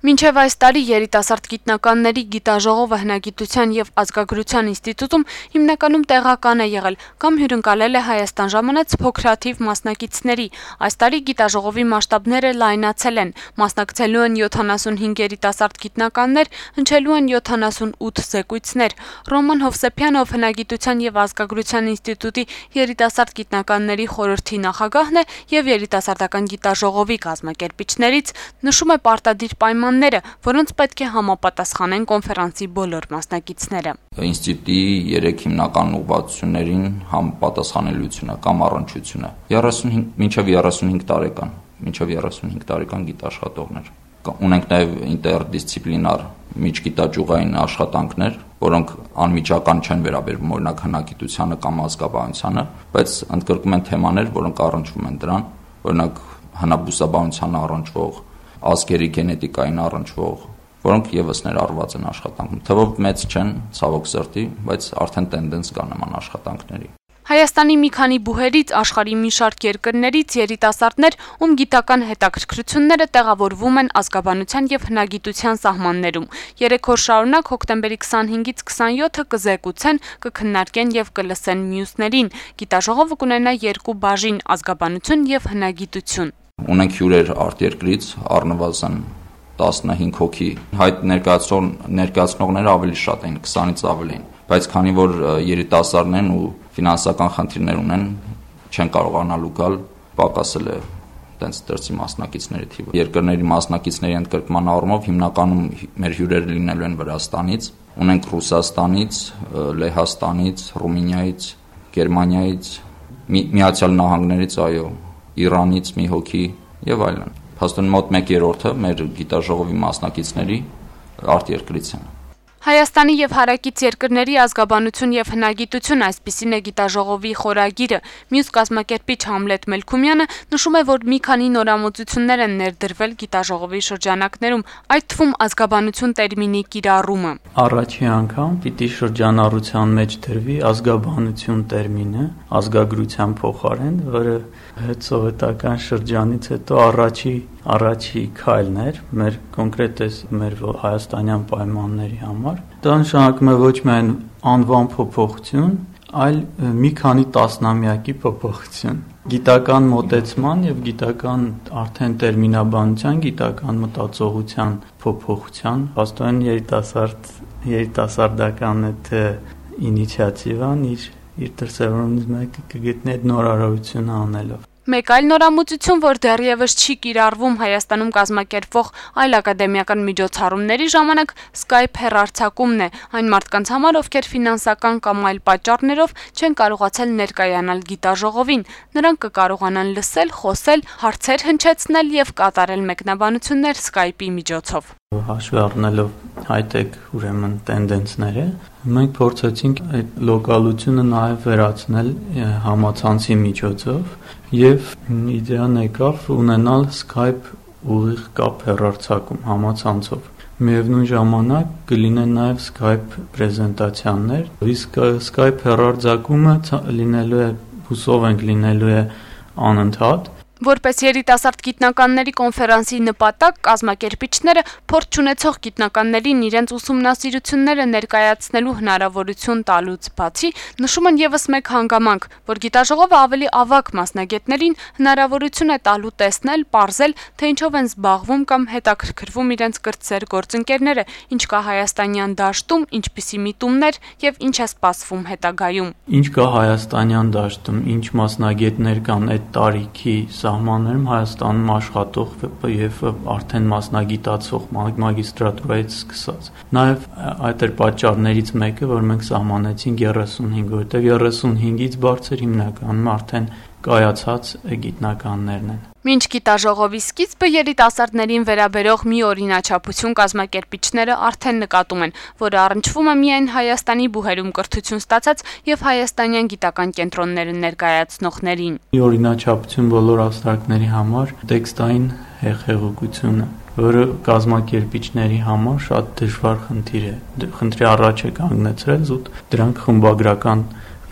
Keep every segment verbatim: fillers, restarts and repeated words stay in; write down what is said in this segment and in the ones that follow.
Մինչև այս տարի երիտասարդ գիտնականների գիտաժողովը հնագիտության և ազգագրության ինստիտուտում հիմնականում տեղական է եղել կամ հյուրընկալել է Հայաստան ժամանած փոքրաթիվ մասնակիցների։ Այս տարի գիտաժողովի մասշտաբները լայնացել են, մասնակցելու են յոթանասունհինգ երիտասարդ գիտնականներ, հնչելու են յոթանասունութ զեկույցներ։ Ռոման Հովսեփյանով հնագիտության և ազգագրության ինստիտուտի երիտասարդ գիտնականների խորհրդի նախագահն է և երիտասարդական գիտաժողովի կազմակերպիչներից նշում է պարտադիր պայմանները, որոնց պետք է համապատասխանեն կոնֆերանսի բոլոր մասնակիցները։ Ինստիտուտի երեք հիմնական ուղղվածություններին համապատասխանելիությունը կամ առնչությունը մինչև երեսունհինգ տարեկան, մինչև երեսունհինգ տարեկան գիտաշխատողներ։ Ունենք նաև ինտերդիսցիպլինար միջգիտաճյուղային աշխատանքներ, որոնք անմիջական չեն վերաբերվում օրինակ հնագիտությանը կամ ազգաբանությանը, բայց ընդգրկում են թեմաներ, որոնք առնչվում են դրան, օրինակ հնաբուսաբանությանը առնչվող, ազգերի գենետիկային առնչվող, որոնք ևս ներառված են աշխատանքում։ Թվով մեծ չեն, ցավոք սրտի, բայց արդեն տենդենս կա նման աշխատանքների։ Հայաստանի մի քանի բուհերից, աշխարհի մի շարք երկրներից երիտասարդներ, ում գիտական հետաքրքրությունները տեղավորվում են ազգաբանության և հնագիտության սահմաններում։ Երեք օր շարունակ հոկտեմբերի քսանհինգից քսանյոթը կզեկուցեն, կքննարկեն և կլսեն մյուսներին։ Գիտաժողովը կունենա երկու բաժին՝ ազգաբանություն և հնագիտություն։ Ունենք հյուրեր արտերկրից, առնվազն տասնհինգ հոգի, հայտ ներկայացնող ներկայացնողները ավելի շատ են, քսանից ավել են, բայց քանի որ երիտասարդներ են ու ֆինանսական խնդիրներ ունեն, չեն կարողանալու գալ, պակասել է տենց դրսի մասնակիցների թիվը։ Երկրների մասնակիցների ընդգրկման առումով հիմնականում մեր հյուրերը լինելու են Վրաստանից, ունենք Ռուսաստանից, Լեհաստանից, Ռումինիայից, Գերմանիայից, Միացյալ Նահանգներից, այո, Իրանից մի հոգի եւ այլն։ Փաստորեն մոտ մեկ երրորդը մեր գիտաժողովի մասնակիցների արտերկրից են։ Հայաստանի և հարակից երկրների ազգաբանություն և հնագիտություն, այսպիսին է գիտաժողովի խորագիրը։ Մյուս կազմակերպիչ Համլետ Մելքումյանը նշում է, որ մի քանի նորամուծություններ են ներդրվել գիտաժողովի շրջանակներում, այդ թվում ազգաբանություն տերմինի կիրառումը։ Առաջի անգամ պիտի շրջանառության մեջ դրվի ազգաբանություն տերմինը ազգագրության փոխարեն, որը հետսովետական շրջանից հետո առաջի առաջի քայլն էր մեր կոնկրետ մեր հայաստանյան պայմանների համար։ Դա նշանակում է ոչ միայն անվան փոփոխություն, այլ մի քանի տասնամյակի փոփոխություն։ Գիտական մոտեցման եւ գիտական արդեն տերմինաբանության, գիտական մտածողության փոփոխության, հաստատեն երիտասարդ երիտասարդական այդ ինիցիատիվան իր իր դրսևորումից մեկը կգտնի այդ նորարարությունը անելով։ Մեկ այլ նորամուծություն, որ դեռևս չի կիրառվում Հայաստանում կազմակերպվող այլ ակադեմիական միջոցառումների ժամանակ, Skype հեռարձակումն է այն մարդկանց համար, ովքեր ֆինանսական կամ այլ պատճառներով չեն կարողացել ներկայանալ գիտաժողովին։ Նրանք կկարողանան լսել, խոսել, հարցեր հնչեցնել եւ կատարել մեկնաբանություններ Skype-ի միջոցով։ Հաշվի առնելով հայ-տեխ ուրեմն տենդենսները, մենք փորձեցինք այդ լոկալությունը նաև վերացնել համացանցի միջոցով եւ իդեան եկավ ունենալ Skype ուղիղ կապ հեռարձակում համացանցով։ Միևնույն ժամանակ կլինեն նաև Skype պրեզենտացիաներ, իսկ Skype հեռարձակումը լինելու է, հուսով ենք լինելու է անընդհատ։ Որպես երիտասարդ գիտնականների կոնֆերանսի նպատակ կազմակերպիչները փորձ չունեցող գիտնականներին իրենց ուսումնասիրությունները ներկայացնելու հնարավորություն տալուց բացի նշում են ևս մեկ հանգամանք, որ գիտաժողովը ավելի ավագ մասնագետներին հնարավորություն է տալու տեսնել, պարզել, թե ինչով են զբաղվում կամ հետաքրքրվում իրենց կրտսեր գործընկերները, ինչ կա հայաստանյան դաշտում, ինչպիսի միտումներ եւ ինչ է սպասվում հետագայում։ Ինչ կա հայաստանյան դաշտում, ինչ մասնագետներ կան այդ տարիքի սահմաններում Հայաստանում աշխատող եւ արդեն մասնագիտացող մագիստրատուրայից սկսած։ Նաեւ այդ էր պատճառներից մեկը, որ մենք սահմանեցինք երեսունհինգ, որտեղ երեսունհինգից բարձր հիմնականում արդեն կայացած գիտնականներն են։ Մինչ գիտաժողովի սկիզբը երիտասարդներին վերաբերող մի օրինաչափություն կազմակերպիչները արդեն նկատում են, որը առնչվում է միայն Հայաստանի բուհերում կրթություն ստացած եւ հայաստանյան գիտական կենտրոնները ներկայացնողներին։ Մի օրինաչափություն բոլոր աստղակների համար տեքստային հեղեղողությունը, որը կազմակերպիչների համար շատ դժվար խնդիր է։ Խնդրի առաջ է կանգնեցրել զուտ դրանք խմբագրական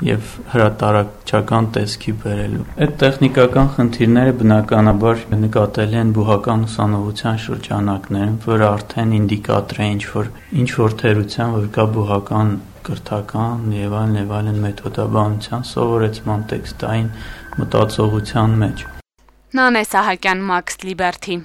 եւ հրատարակչական տեսքի բերելու։ Այդ տեխնիկական խնդիրները բնականաբար նկատելի են բուհական ուսանողության շրջանակներում, որը արդեն ինդիկատոր է ինչ-որ ինչ-որ թերության, որ կա բուհական կրթական եւ այլն եւ այլն մեթոդաբանության սովորեցման տեքստային մտածողության մեջ։ Նանե Սահակյան, Max Liberty։